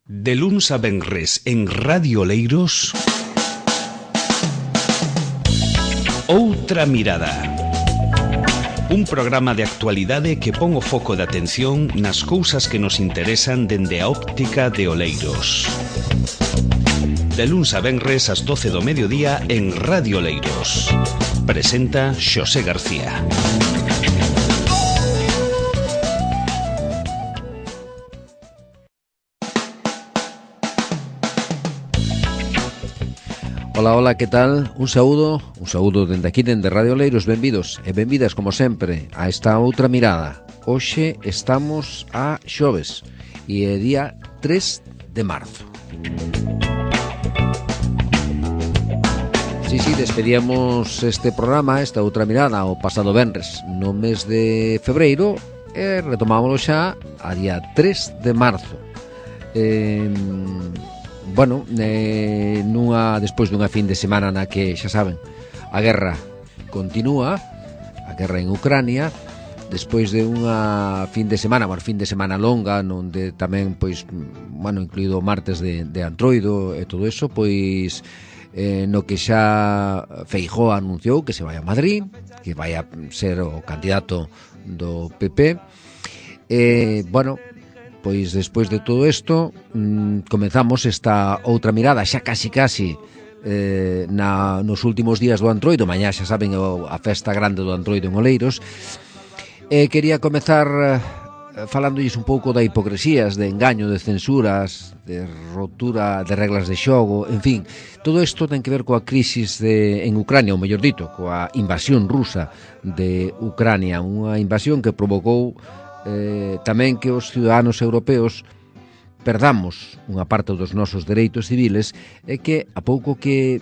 De luns a venres en Radio Oleiros, Outra Mirada. Un programa de actualidade que pon o foco de atención nas cousas que nos interesan dende a óptica de Oleiros. De luns a venres ás 12 do mediodía en Radio Oleiros. Presenta Xosé García. Ola, que tal? Un saúdo dende aquí, dende Radio Oleiros. Benvidos e benvidas, como sempre, a esta outra mirada. Hoxe estamos a xoves e é día 3 de marzo. Sí, despedíamos este programa, esta outra mirada, o pasado venres, no mes de febreiro, e retomámoslo xa a día 3 de marzo. Despois dunha fin de semana na que, xa saben, a guerra continúa, a guerra en Ucrania, despois de unha fin de semana longa, onde tamén, incluído o martes de Antroido e todo eso, no que xa Feijóo anunciou que se vai a Madrid, que vai a ser o candidato do PP. Despois de todo isto, comenzamos esta outra mirada, xa casi nos últimos días do Antroido. Mañá, xa saben, a festa grande do Antroido en Oleiros. Quería comezar falándolles un pouco da hipocresías, de engaño, de censuras, de rotura de reglas de xogo, en fin. Todo isto ten que ver coa crisis en Ucrania, ou mellor dito, coa invasión rusa de Ucrania, unha invasión que provocou tamén que os ciudadanos europeos perdamos unha parte dos nosos dereitos civiles, e que a pouco que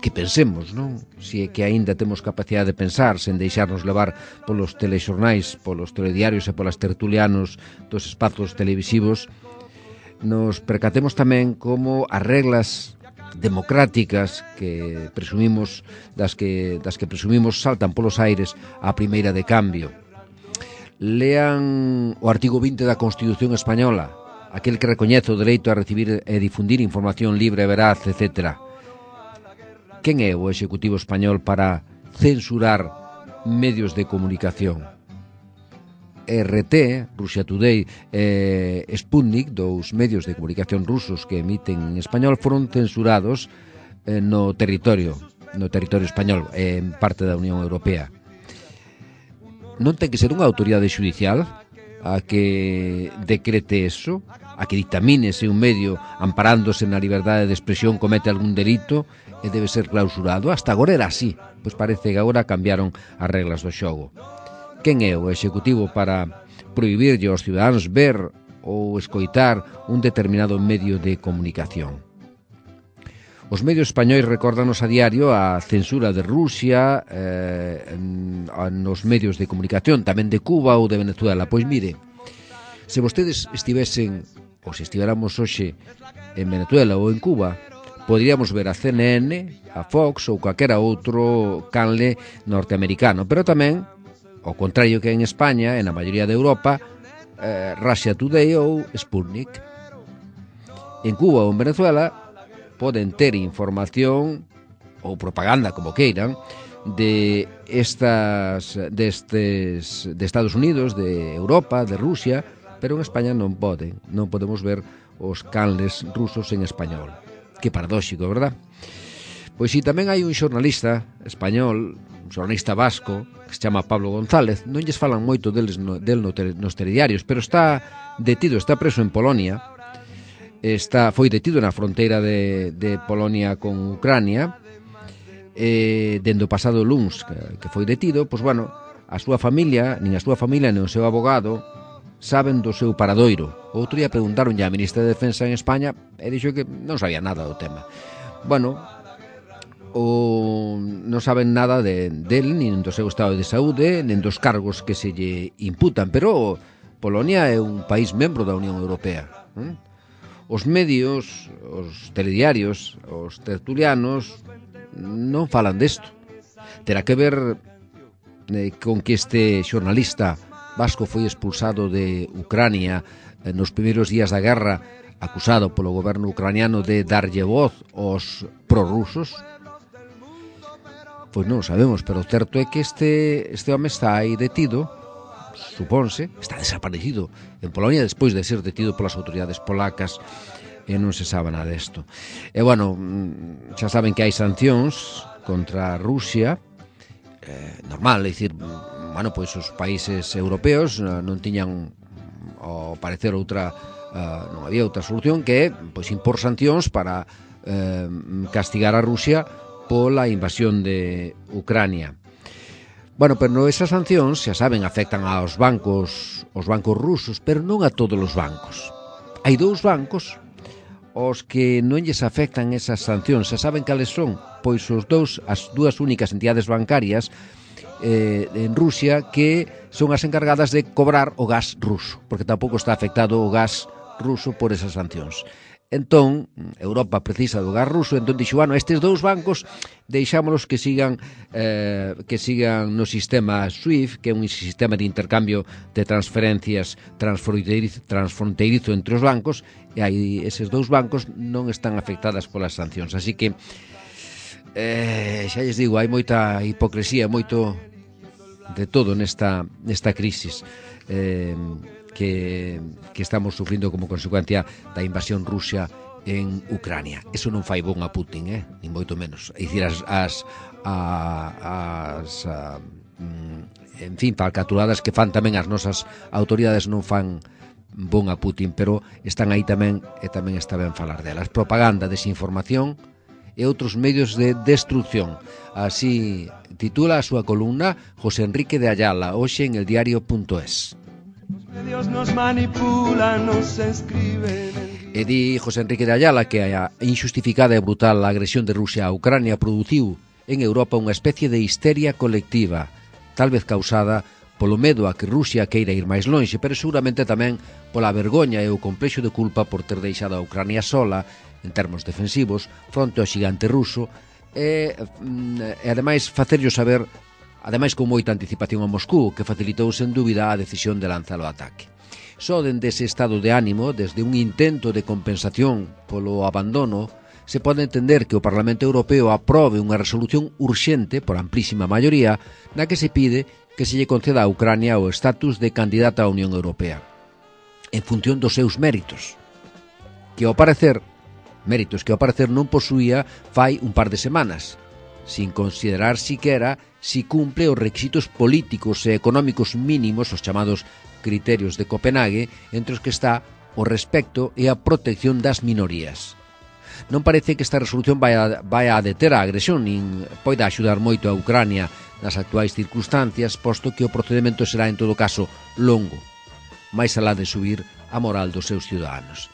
pensemos, non? Si é que aínda temos capacidade de pensar sen deixarnos levar polos telexornais, polos telediarios e polas tertulianos dos espazos televisivos, nos percatemos tamén como as reglas democráticas que presumimos, das que presumimos saltan polos aires á primeira de cambio. Lean o artigo 20 da Constitución Española, aquel que recoñece o dereito a recibir e difundir información libre e veraz, etc. Quen é o Executivo español para censurar medios de comunicación? RT, Russia Today e Sputnik, dous medios de comunicación rusos que emiten en español, foron censurados no territorio español, en parte da Unión Europea. Non ten que ser unha autoridade xudicial a que decrete eso, a que dictamine se un medio amparándose na liberdade de expresión comete algún delito e debe ser clausurado. Hasta agora era así, pois parece que agora cambiaron as reglas do xogo. Quen é o Executivo para prohibirlle aos ciudadanos ver ou escoitar un determinado medio de comunicación? Os medios españois recórdanos a diario a censura de Rusia nos medios de comunicación, tamén de Cuba ou de Venezuela. Pois mire, se vostedes estivesen, ou se estivéramos hoxe en Venezuela ou en Cuba, poderíamos ver a CNN, a Fox ou calquera outro canle norteamericano, pero tamén, ao contrario que en España, en a maioría de Europa, Russia Today ou Sputnik. En Cuba ou en Venezuela poden ter información ou propaganda, como queiran, de Estados Unidos, de Europa, de Rusia, pero en España non podemos ver os canles rusos en español. Que paradóxico, verdad? Pois si, tamén hai un xornalista español, un xornalista vasco, que se chama Pablo González. Non lles falan moito del nos telediarios, pero está preso en Polonia. Foi detido na fronteira de Polonia con Ucrania, dende o pasado luns que foi detido. A súa familia, nin o seu abogado saben do seu paradoiro. Outro día preguntaronlle á ministra de Defensa en España e dixo que non sabía nada do tema. Non saben nada del, nin do seu estado de saúde, nin dos cargos que se lle imputan, pero Polonia é un país membro da Unión Europea. Os medios, os telediarios, os tertulianos non falan desto. Terá que ver con que este xornalista vasco foi expulsado de Ucrania nos primeiros días da guerra acusado polo goberno ucraniano de darlle voz aos prorrusos? Pois non sabemos, pero o certo é que este home está aí detido, supónse, está desaparecido en Polonia despois de ser detido polas autoridades polacas, e non se sabe nada desto. E, bueno, xa saben que hai sancións contra Rusia, normal, é dicir, bueno, pois os países europeos non tiñan, ao parecer, non había outra solución que pois impor sancións para castigar a Rusia pola invasión de Ucrania. Bueno, pero esas sancións, xa saben, afectan aos bancos rusos, pero non a todos os bancos. Hai dous bancos os que non lles afectan esas sancións. Xa saben cales son? Pois as dúas únicas entidades bancarias en Rusia que son as encargadas de cobrar o gas ruso, porque tampouco está afectado o gas ruso por esas sancións. Entón, Europa precisa do gas ruso, entón dixo, bueno, estes dous bancos deixámolos que sigan no sistema SWIFT, que é un sistema de intercambio de transferencias transfronteirizo entre os bancos, e aí eses dous bancos non están afectadas polas sancións. Así que, xa lles digo, hai moita hipocresía, moito de todo nesta crisis que estamos sufrindo como consecuencia da invasión rusa en Ucrania. Eso non fai bon a Putin, ni moito menos. É dicir, en fin, falcaturadas que fan tamén as nosas autoridades non fan bon a Putin, pero están aí tamén, e tamén está ben falar delas. Propaganda, desinformación e outros medios de destrucción. Así titula a súa columna José Enrique de Ayala, hoxe en eldiario.es. E di José Enrique de Ayala que a injustificada e brutal agresión de Rusia a Ucrania produciu en Europa unha especie de histeria colectiva, tal vez causada polo medo a que Rusia queira ir máis lonxe, pero seguramente tamén pola vergoña e o complexo de culpa por ter deixado a Ucrania sola, en termos defensivos, fronte ao xigante ruso, e ademais facerllo saber, ademais con moita anticipación a Moscú, que facilitou sen dúbida a decisión de lanzar o ataque. Só dende ese estado de ánimo, desde un intento de compensación polo abandono, se pode entender que o Parlamento Europeo aprobe unha resolución urxente, por amplísima maioría, na que se pide que se lle conceda a Ucrania o estatus de candidata á Unión Europea, en función dos seus méritos, méritos que ao parecer non posuía fai un par de semanas, sin considerar siquera si cumple os requisitos políticos e económicos mínimos, os chamados criterios de Copenhague, entre os que está o respecto e a protección das minorías. Non parece que esta resolución vai a deter a agresión, nin poida axudar moito a Ucrania nas actuais circunstancias, posto que o procedimento será, en todo caso, longo, máis alá de subir a moral dos seus ciudadanos.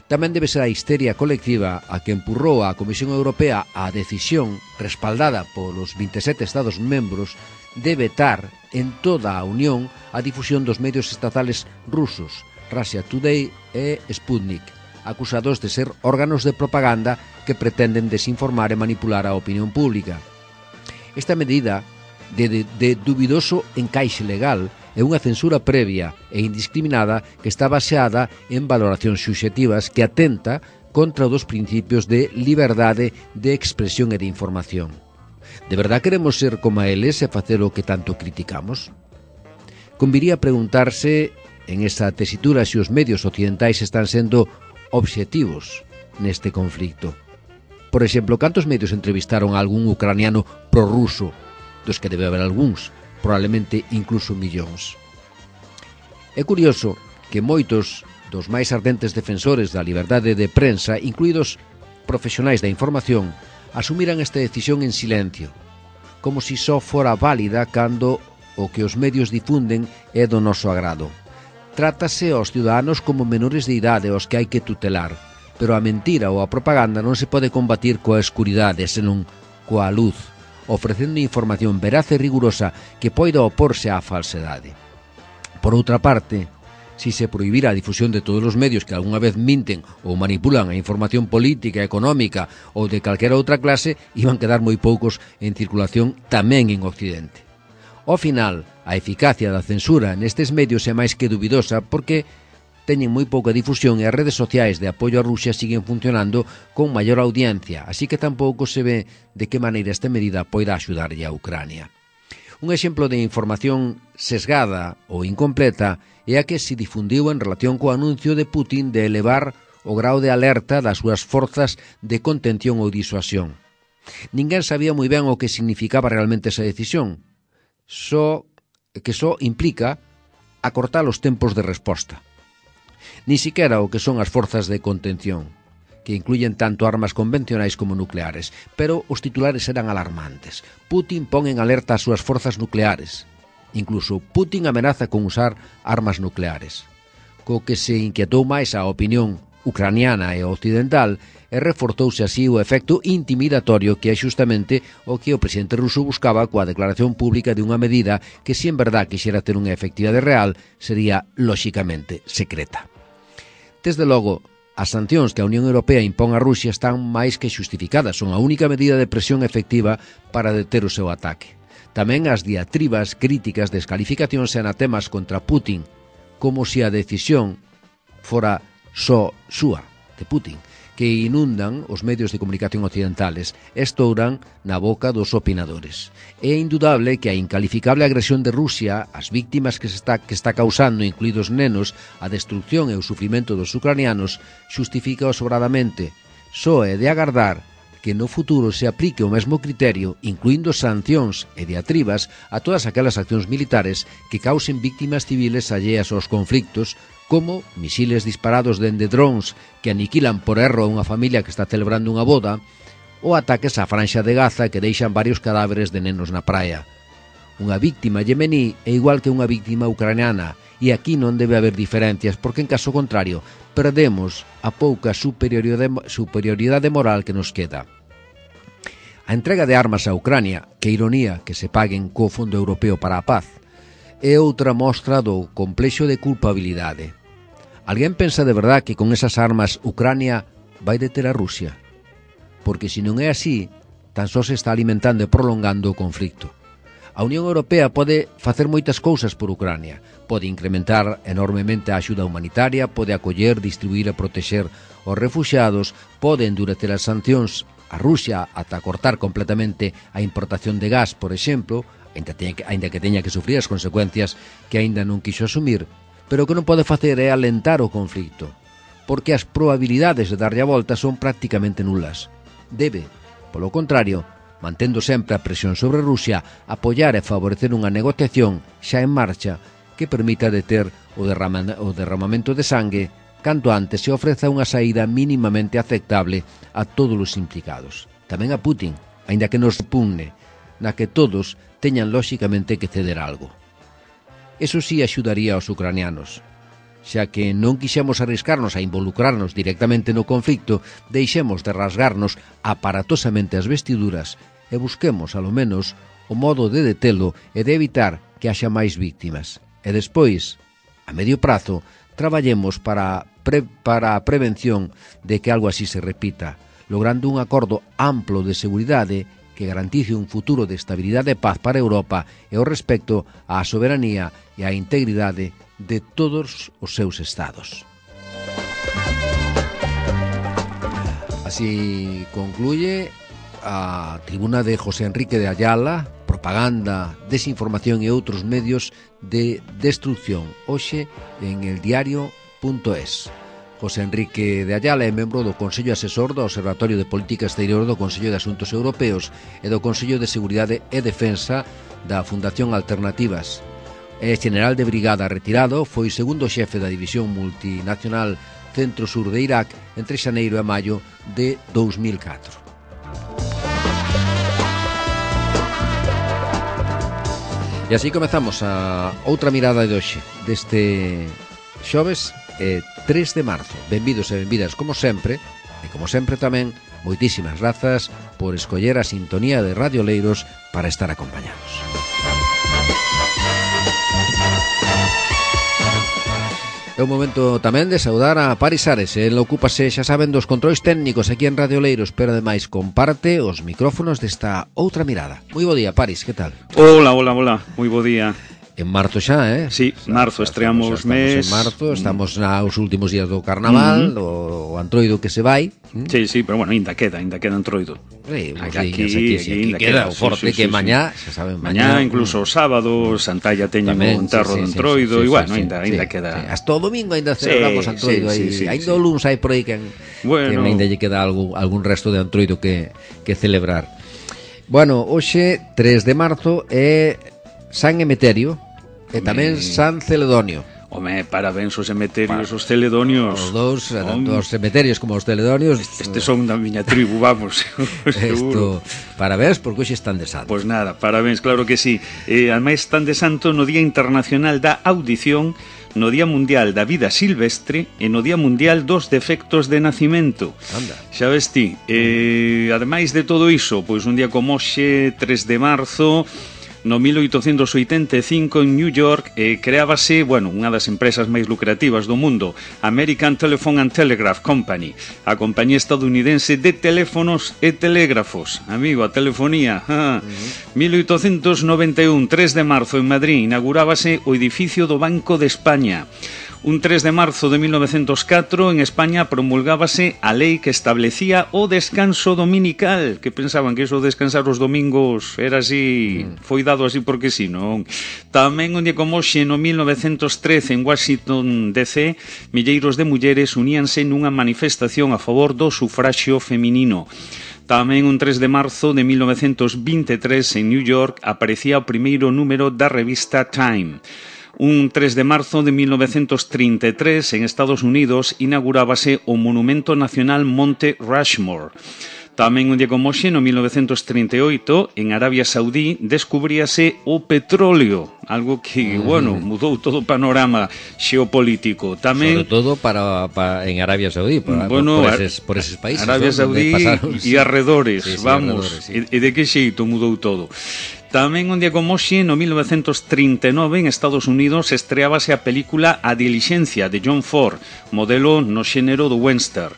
Tamén debe ser a histeria colectiva a que empurrou a Comisión Europea a decisión, respaldada polos 27 Estados membros, de vetar en toda a Unión a difusión dos medios estatales rusos, Russia Today e Sputnik, acusados de ser órganos de propaganda que pretenden desinformar e manipular a opinión pública. Esta medida de dubidoso encaixe legal é unha censura previa e indiscriminada que está baseada en valoracións subxectivas que atenta contra os principios de liberdade de expresión e de información. De verdad queremos ser como eles e facer o que tanto criticamos? Conviría preguntarse en esa tesitura se os medios occidentais están sendo obxectivos neste conflicto. Por exemplo, cantos medios entrevistaron a algún ucraniano prorruso, dos que debe haber algúns, probablemente incluso millóns. É curioso que moitos dos máis ardentes defensores da liberdade de prensa, incluídos profesionais da información, asumiran esta decisión en silencio, como si só fora válida cando o que os medios difunden é do noso agrado. Trátase aos ciudadanos como menores de idade aos que hai que tutelar, pero a mentira ou a propaganda non se pode combatir coa escuridade, senón coa luz, ofrecendo información veraz e rigurosa que poida oporse á falsedade. Por outra parte, si se prohibira a difusión de todos os medios que algunha vez minten ou manipulan a información política, económica ou de calquera outra clase, iban quedar moi poucos en circulación tamén en Occidente. Ao final, a eficacia da censura nestes medios é máis que dubidosa porque teñen moi pouca difusión e as redes sociais de apoio a Rusia siguen funcionando con maior audiencia, así que tampouco se ve de que maneira esta medida poida axudarlle a Ucrania. Un exemplo de información sesgada ou incompleta é a que se difundiu en relación co anuncio de Putin de elevar o grau de alerta das súas forzas de contención ou disuasión. Ninguén sabía moi ben o que significaba realmente esa decisión, só implica acortar os tempos de resposta. Ni siquiera o que son as forzas de contención, que incluyen tanto armas convencionais como nucleares, pero os titulares eran alarmantes. Putin pon en alerta as súas forzas nucleares. Incluso Putin amenaza con usar armas nucleares. Co que se inquietou máis a opinión ucraniana e occidental e reforzouse así o efecto intimidatorio que é xustamente o que o presidente ruso buscaba coa declaración pública de unha medida que, se en verdad quixera ter unha efectividade real, sería lóxicamente secreta. Desde logo, as sancións que a Unión Europea impón a Rusia están máis que xustificadas, son a única medida de presión efectiva para deter o seu ataque. Tamén as diatribas críticas, descalificacións e anatemas contra Putin, como se a decisión fora só súa, de Putin, que inundan os medios de comunicación occidentales, estouran na boca dos opinadores. É indudable que a incalificable agresión de Rusia ás víctimas que está causando, incluídos nenos, a destrucción e o sufrimento dos ucranianos, xustifica sobradamente. Só é de agardar que no futuro se aplique o mesmo criterio, incluindo sancións e diatribas a todas aquelas accións militares que causen víctimas civiles alleas aos conflictos, como misiles disparados dende drones que aniquilan por erro a unha familia que está celebrando unha boda, ou ataques á franxa de Gaza que deixan varios cadáveres de nenos na praia. Unha víctima yemení é igual que unha víctima ucraniana, e aquí non debe haber diferencias, porque en caso contrario perdemos a pouca superioridade moral que nos queda. A entrega de armas a Ucrania, que ironía que se paguen co Fondo Europeo para a Paz, é outra mostra do complexo de culpabilidade. Alguén pensa de verdad que con esas armas Ucrania vai deter a Rusia? Porque se non é así, tan só se está alimentando e prolongando o conflicto. A Unión Europea pode facer moitas cousas por Ucrania. Pode incrementar enormemente a axuda humanitaria, pode acoller, distribuir e protexer os refuxiados, pode endurecer as sancións a Rusia ata cortar completamente a importación de gas, por exemplo, aínda que teña que sufrir as consecuencias que aínda non quixo asumir, pero o que non pode facer é alentar o conflicto, porque as probabilidades de darlle a volta son prácticamente nulas. Debe, polo contrario, mantendo sempre a presión sobre Rusia, apoiar e favorecer unha negociación xa en marcha que permita deter o derramamento de sangue canto antes se ofreza unha saída mínimamente aceptable a todos os implicados. Tamén a Putin, aínda que nos repugne, na que todos teñan lóxicamente que ceder algo. Eso sí axudaría aos ucranianos. Xa que non quixemos arriscarnos a involucrarnos directamente no conflicto, deixemos de rasgarnos aparatosamente as vestiduras e busquemos, alo menos, o modo de detelo e de evitar que haxa máis víctimas. E despois, a medio prazo, traballemos para a prevención de que algo así se repita, logrando un acordo amplo de seguridade que garantice un futuro de estabilidade e paz para Europa e o respecto á soberanía e á integridade de todos os seus estados. Así concluye a tribuna de José Enrique de Ayala, propaganda, desinformación e outros medios de destrucción, hoxe en eldiario.es. José Enrique de Ayala é membro do Consello Asesor do Observatorio de Política Exterior do Consello de Asuntos Europeos e do Consello de Seguridade e Defensa da Fundación Alternativas. É general de brigada retirado, foi segundo xefe da División Multinacional Centro-Sur de Irak entre xaneiro e maio de 2004. E así comezamos a outra mirada de hoxe deste xoves 3 de marzo. Benvidos e benvidas como sempre, e como sempre tamén moitísimas grazas por escoller a sintonía de Radio Oleiros para estar acompañados. É o momento tamén de saudar a Paris Ares. El ocúpase, xa saben, dos controis técnicos aquí en Radio Oleiros, pero ademais comparte os micrófonos desta outra mirada. Moi bo día, Paris, que tal? Hola, moi bo día. En marzo xa, Sí, marzo, estreamos mes. Estamos en marzo, estamos nos últimos días do carnaval, o Antroido que se vai. Sí, pero bueno, ainda queda Antroido. Aquí queda o forte que mañá, xa saben, mañá incluso o sábado Santalla teñen o enterro de Antroido, e bueno, ainda queda. Hasta o domingo ainda celebramos Antroido, ainda o luns hai por aí que ainda lle queda algún resto de Antroido que celebrar. Bueno, hoxe 3 de marzo é San Emeterio e tamén San Celedonio. Home, parabéns os emeterios, os celedonios. Os dous, tanto os emeterios como os celedonios. Estes son da miña tribu, vamos, seguro. Parabéns, porque hoxe están de santo. Pois nada, parabéns, claro que sí. Ademais están de santo no Día Internacional da Audición, no Día Mundial da Vida Silvestre e no Día Mundial dos Defectos de Nacimento. Anda. Xa ves ti, ademais de todo iso, pois un día como hoxe, 3 de marzo... No 1885 en New York creábase, unha das empresas máis lucrativas do mundo, American Telephone and Telegraph Company, a compañía estadounidense de teléfonos e telégrafos. Amigo, a telefonía. 1891, 3 de marzo, en Madrid, inaugurábase o edificio do Banco de España. Un 3 de marzo de 1904 en España promulgábase a lei que establecía o descanso dominical, que pensaban que iso de descansar os domingos era así, foi dado así porque si, non? Tamén un día como hoxe, no 1913 en Washington DC, milleiros de mulleres uníanse nunha manifestación a favor do sufraxio feminino. Tamén un 3 de marzo de 1923 en New York aparecía o primeiro número da revista Time. Un 3 de marzo de 1933 en Estados Unidos inaugurábase o Monumento Nacional Monte Rushmore. Tamén un día como hoxe, no 1938, en Arabia Saudí descubríase o petróleo, algo que, mudou todo o panorama xeopolítico. Tamén, sobre todo en Arabia Saudí, por eses países. Arabia Saudí e arredores, e de que xeito mudou todo. Tamén un día como hoxe, no 1939, en Estados Unidos, estreábase a película A Diligencia, de John Ford, modelo no xénero do western.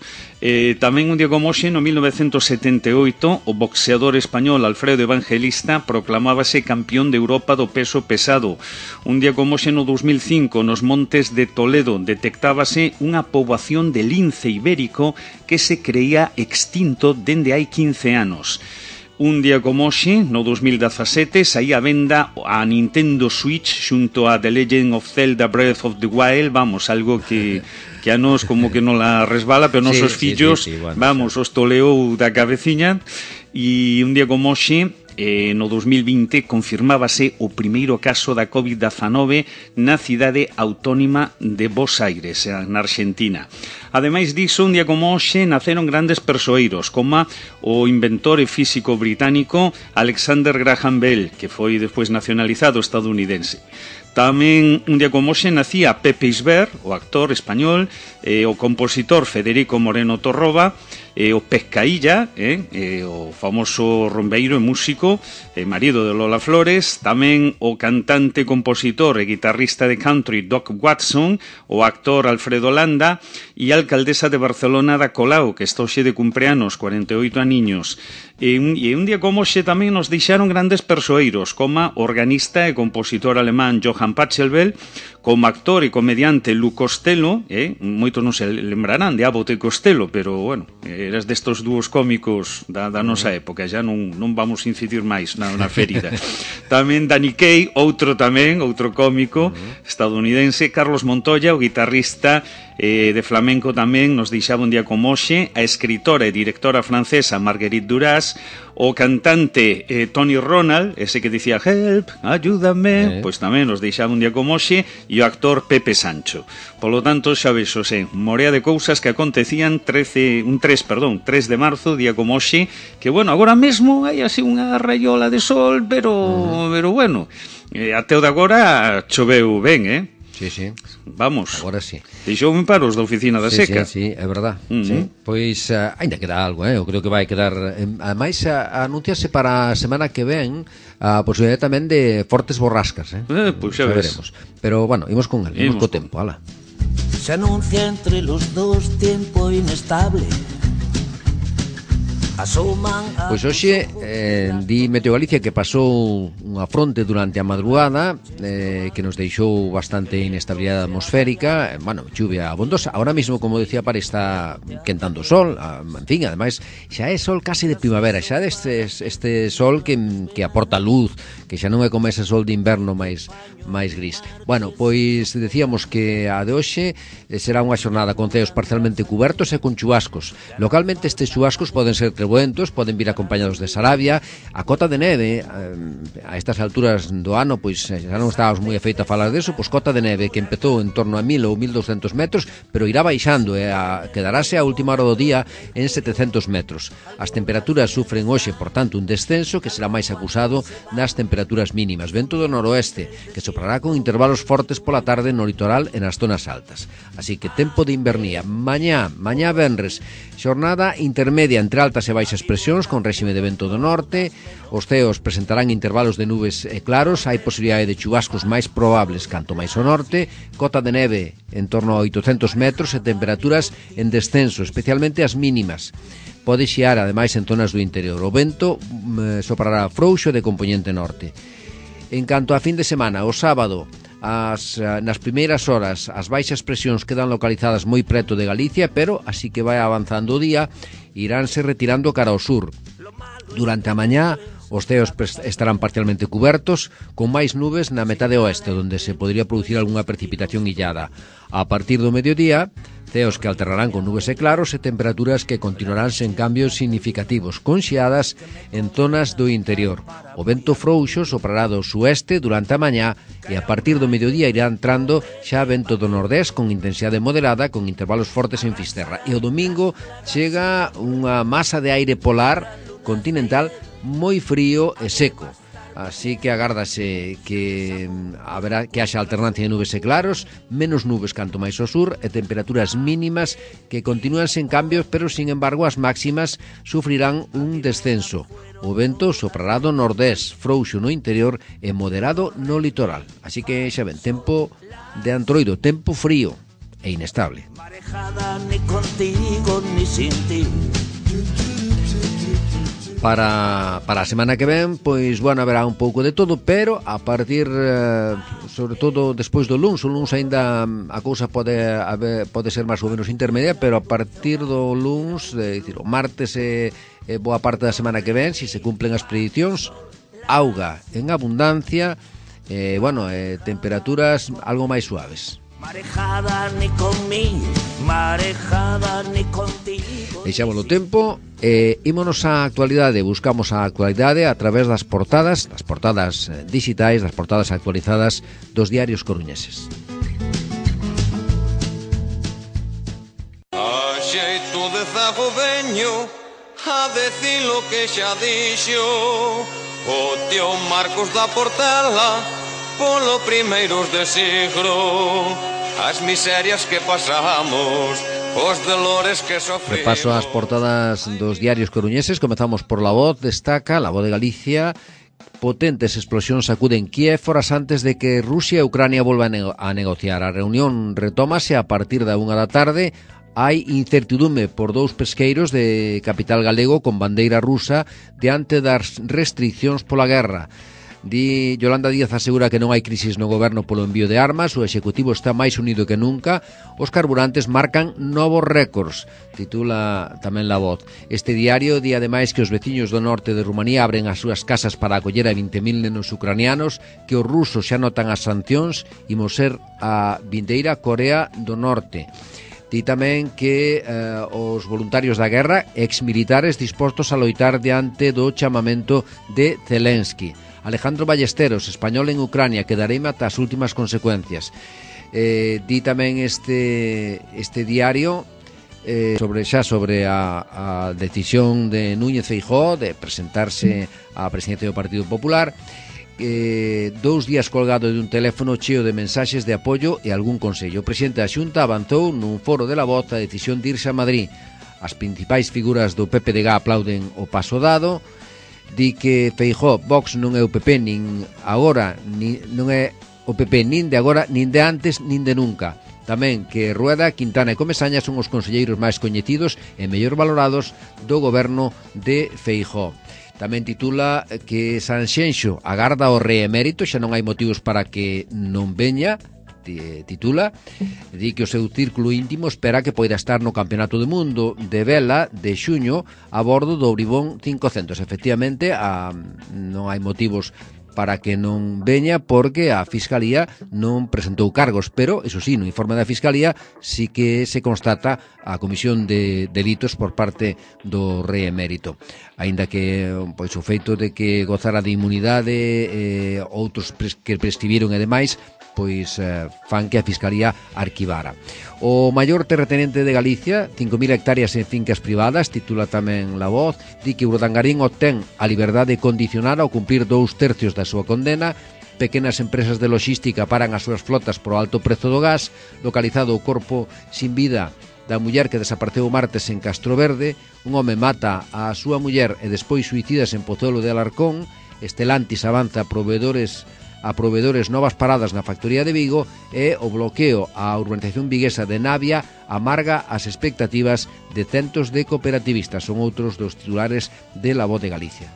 Tamén un día como hoxe, no 1978, o boxeador español Alfredo Evangelista proclamábase campeón de Europa do peso pesado. Un día como hoxe, no 2005, nos montes de Toledo, detectábase unha poboación de lince ibérico que se creía extinto dende hai 15 anos. Un día como hoxe, no 2017, saía a venda a Nintendo Switch xunto a The Legend of Zelda Breath of the Wild, algo que a nos como que non la resbala, pero nosos fillos, os toleou da cabeciña. E un día como hoxe, no 2020, confirmábase o primeiro caso da COVID-19 na cidade autónoma de Buenos Aires, na Argentina. Ademais diso, un día como hoxe, naceron grandes persoeiros, como o inventor e físico británico Alexander Graham Bell, que foi despois nacionalizado estadounidense. Tamén un día como hoxe nacía Pepe Isbert, o actor español, o compositor Federico Moreno Torroba, o Pescailla, o famoso rumbeiro e músico, marido de Lola Flores, tamén o cantante, compositor e guitarrista de country Doc Watson, o actor Alfredo Landa e a alcaldesa de Barcelona da Colau, que está hoxe de cumpleanos, 48 aniños. E un día como hoxe tamén nos deixaron grandes persoeiros, como organista e compositor alemán Johann Pachelbel, como actor e comediante Lu Costello, moitos non se lembrarán de Abbott e Costello, pero, eras destos dúos cómicos da nosa época, já non vamos incidir máis na ferida. Tamén Danny Kaye, outro cómico estadounidense, Carlos Montoya, o guitarrista de flamenco tamén, nos deixaba un día como hoxe, a escritora e directora francesa Marguerite Duras, o cantante Tony Ronald, ese que dicía help, ayúdame, pois tamén nos deixaba un día como hoxe, e o actor Pepe Sancho. Polo tanto, xa ves, morea de cousas que acontecían 3 de marzo, día como hoxe, que, agora mesmo hai así unha raiola de sol, pero até o de agora choveu ben, Sí. Vamos. Agora sí. Deixoume para os da oficina da seca. Sí, é verdad. Pois ainda queda algo, eu creo que vai quedar. Ademais, anunciase para a semana que ven a posibilidade tamén de fortes borrascas, Pois xa veremos. Pero, imos con el, imos co tempo, ala. Se anuncia entre los dos tiempo inestable. Pois hoxe di Meteo Galicia que pasou unha fronte durante a madrugada que nos deixou bastante inestabilidade atmosférica, bueno, chuvia abondosa. Ahora mismo, como decía Pari, está quentando o sol, en fin, ademais xa é sol casi de primavera, xa este sol que aporta luz, que xa non é como ese sol de inverno máis gris. Bueno, pois decíamos que a de hoxe será unha xornada con ceos parcialmente cubertos e con chubascos. Localmente estes chubascos poden ser trebuentos, poden vir acompañados de sarabia. A cota de neve a estas alturas do ano, pois xa non estábamos moi afeitos a falar deso, pois cota de neve que empezou en torno a 1000 ou 1200 metros, pero irá baixando e quedarase a última hora do día en 700 metros. As temperaturas sufren hoxe, por tanto, un descenso que será máis acusado nas temperaturas mínimas. Vento do noroeste, que soprará con intervalos fortes pola tarde no litoral e nas zonas altas. Así que tempo de invernía. Mañá venres, xornada intermedia entre altas e baixas presións con réxime de vento do norte. Os ceos presentarán intervalos de nubes e claros. Hai posibilidade de chubascos máis probables canto máis ao norte. Cota de neve en torno a 800 metros e temperaturas en descenso, especialmente as mínimas. Pode xiar, ademais, en zonas do interior. O vento soprará frouxo de compoñente norte. En canto a fin de semana, o sábado, nas primeiras horas as baixas presións quedan localizadas moi preto de Galicia, pero así que vai avanzando o día, iránse retirando cara ao sur. Durante a mañá os ceos estarán parcialmente cubertos, con máis nubes na metade oeste, onde se podría producir algunha precipitación illada. A partir do mediodía, ceos que alternarán con nubes e claros e temperaturas que continuarán sen cambios significativos, con xiadas en zonas do interior. O vento frouxo soprará do sueste durante a mañá e a partir do mediodía irá entrando xa vento do nordés con intensidade moderada, con intervalos fortes en Fisterra. E o domingo chega unha masa de aire polar continental moi frío e seco. Así que agárdase que haberá que haxa alternancia de nubes e claros, menos nubes canto máis ao sur e temperaturas mínimas que continúan sen cambios, pero sin embargo as máximas sufrirán un descenso. O vento soprará do nordés, frouxo no interior e moderado no litoral. Así que xa ven, tempo de antroido, tempo frío e inestable. Marejada ni contigo ni sin ti. Para a semana que ven, pois, bueno, haberá un pouco de todo, pero a partir, sobre todo, despois do luns, o luns aínda a cousa pode ser máis ou menos intermedia, pero a partir do luns, o martes e boa parte da semana que ven, se cumplen as predicións, auga en abundancia, temperaturas algo máis suaves. Marejada ni conmigo, marejada ni contigo. Deixamos o tempo e ímonos á actualidade. Buscamos a actualidade a través das portadas digitais, das portadas actualizadas dos diarios coruñeses. A xeito de zago veño a decir lo que xa dixo o tío Marcos da Portela polo primeiros de siglo. As miserias que pasamos, os dolores que sofrimos. Repaso as portadas dos diarios coruñeses. Comezamos por La Voz. Destaca La Voz de Galicia: potentes explosións sacuden Kiev horas antes de que Rusia e Ucrania volvan a negociar. A reunión retómase a partir da 1 da tarde. Hai incertidume por dous pesqueiros de capital galego con bandeira rusa diante das restriccións pola guerra. Yolanda Díaz asegura que non hai crisis no goberno polo envío de armas, o executivo está máis unido que nunca, os carburantes marcan novos récords, titula tamén La Voz. Este diario di ademais que os veciños do norte de Rumanía abren as súas casas para acoller a 20.000 nenos ucranianos, que os rusos xa notan as sancións, imos ser a vindeira Corea do Norte. Di tamén que os voluntarios da guerra, exmilitares dispostos a loitar diante do chamamento de Zelensky. Alejandro Ballesteros, español en Ucrania, quedareime ata as últimas consecuencias. Di tamén este diario sobre a decisión de Núñez Feijóo de presentarse á presidencia do Partido Popular. 2 días colgado de un teléfono cheo de mensaxes de apoio e algún consello. O presidente da Xunta avanzou nun foro de La Voz a decisión de irse a Madrid. As principais figuras do PPDG aplauden o paso dado. Di que Feijóo, Vox non é o PP nin agora, non é o PP nin de agora, nin de antes, nin de nunca. Tamén que Rueda, Quintana e Comesaña son os conselleiros máis coñecidos e mellor valorados do goberno de Feijóo. Tamén titula que Sanxenxo agarda o reemérito, xa non hai motivos para que non veña. Titula, di que o seu círculo íntimo espera que poida estar no Campeonato do Mundo de vela de xuño a bordo do Bribón 500. Efectivamente, non hai motivos para que non veña porque a Fiscalía non presentou cargos, pero, iso sí, no informe da Fiscalía sí que se constata a comisión de delitos por parte do reemérito. Aínda que pois o feito de que gozara de inmunidade, outros que prescribiron e demais, pois fan que a Fiscalía arquivara. O maior terratenente de Galicia, 5.000 hectáreas en fincas privadas, titula tamén La Voz, di que Urdangarín obtén a liberdade condicional ao cumprir 2/3 da súa condena. Pequenas empresas de logística paran as súas flotas por alto prezo do gas. Localizado o corpo sin vida da muller que desapareceu o martes en Castro Verde. Un home mata a súa muller e despois suicidas en Pozuelo de Alarcón. Estelantis avanza a proveedores novas paradas na factoría de Vigo, e o bloqueo á urbanización viguesa de Navia amarga as expectativas de centos de cooperativistas. Son outros dos titulares de La Voz de Galicia.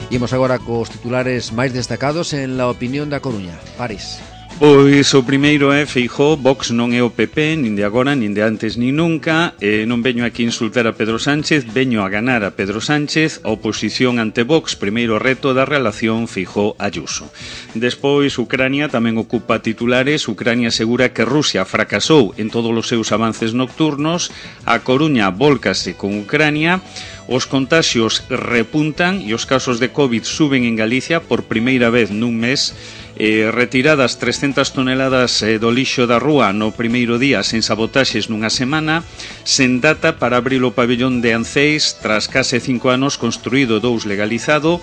Imos agora cos titulares máis destacados en La Opinión da Coruña. Paris. Pois o primeiro é Feijóo, Vox non é o PP, nin de agora, nin de antes, nin nunca. Non veño aquí a insultar a Pedro Sánchez, veño a ganar a Pedro Sánchez. A oposición ante Vox, primeiro reto da relación Feijóo-Ayuso. Despois, Ucrania tamén ocupa titulares. Ucrania asegura que Rusia fracasou en todos os seus avances nocturnos. A Coruña vólcase con Ucrania. Os contaxios repuntan e os casos de COVID suben en Galicia por primeira vez nun mes. Retiradas 300 toneladas do lixo da rúa no primeiro día sen sabotaxes nunha semana. Sen data para abrir o pabellón de Anceis tras case 5 anos construído, 2 legalizado.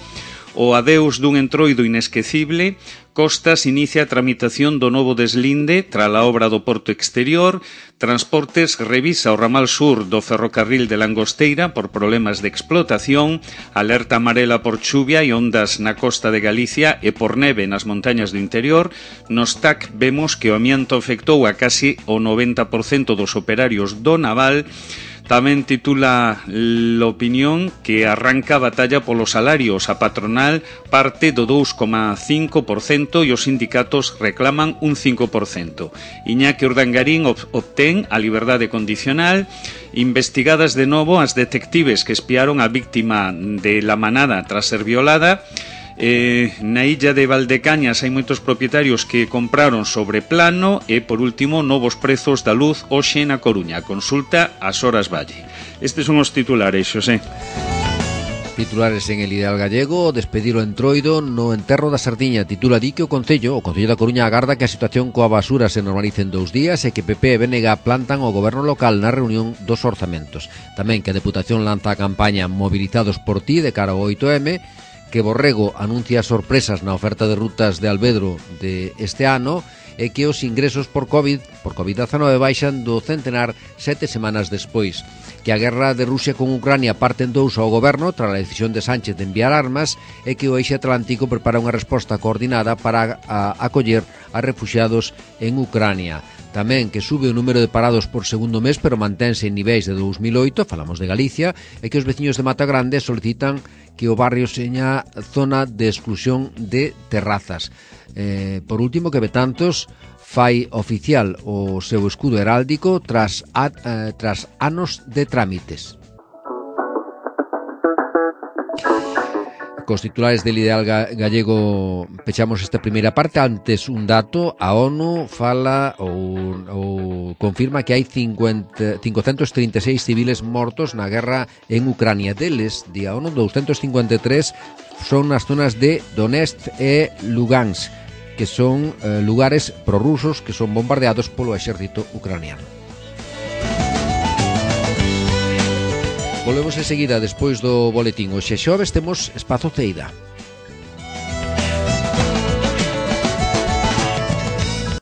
O adeus dun entroido inesquecible. Costas inicia a tramitación do novo deslinde tras a obra do Porto Exterior. Transportes revisa o ramal sur do ferrocarril de Langosteira por problemas de explotación. Alerta amarela por chuvia e ondas na costa de Galicia e por neve nas montañas do interior. Nos TAC vemos que o amianto afectou a casi o 90% dos operarios do naval. Tamén titula l'opinión que arranca a batalla polos salarios. A patronal parte do 2,5% e os sindicatos reclaman un 5%. Iñaki Urdangarín obtén a liberdade condicional. Investigadas de novo as detectives que espiaron a víctima de La Manada tras ser violada. Na illa de Valdecañas hai moitos propietarios que compraron sobre plano. E por último, novos prezos da luz hoxe na Coruña. Consulta as Horas Valle. Estes son os titulares, Xosé. Titulares en El Ideal Gallego. Despedir o entroido no enterro da Sardiña. Titula di que o Concello da Coruña agarda que a situación coa basura se normalice en 2 días e que PP e BNG plantan o goberno local na reunión dos orzamentos. Tamén que a Deputación lanza a campaña Movilizados por ti de cara ao 8M. Que Borrego anuncia sorpresas na oferta de rutas de Alvedro de este ano e que os ingresos por COVID-19 baixan do centenar 7 semanas despois. Que a guerra de Rusia con Ucrania parte en 2 ao goberno tras a decisión de Sánchez de enviar armas e que o Eixe Atlántico prepara unha resposta coordinada para acoller a refuxiados en Ucrania. Tamén que sube o número de parados por segundo mes, pero mantense en niveis de 2008, falamos de Galicia, e que os veciños de Mata Grande solicitan que o barrio seña zona de exclusión de terrazas. Por último, que Betanzos fai oficial o seu escudo heráldico tras anos de trámites. Cos titulares del Ideal Gallego pechamos esta primeira parte. Antes un dato, a ONU fala ou confirma que hai 536 civiles mortos na guerra en Ucrania. Deles, di a ONU, 253 son nas zonas de Donetsk e Lugansk, que son lugares prorrusos que son bombardeados polo exército ucraniano. Volvemos enseguida despois do boletín. Hoxe xoves temos Espazo Ceida.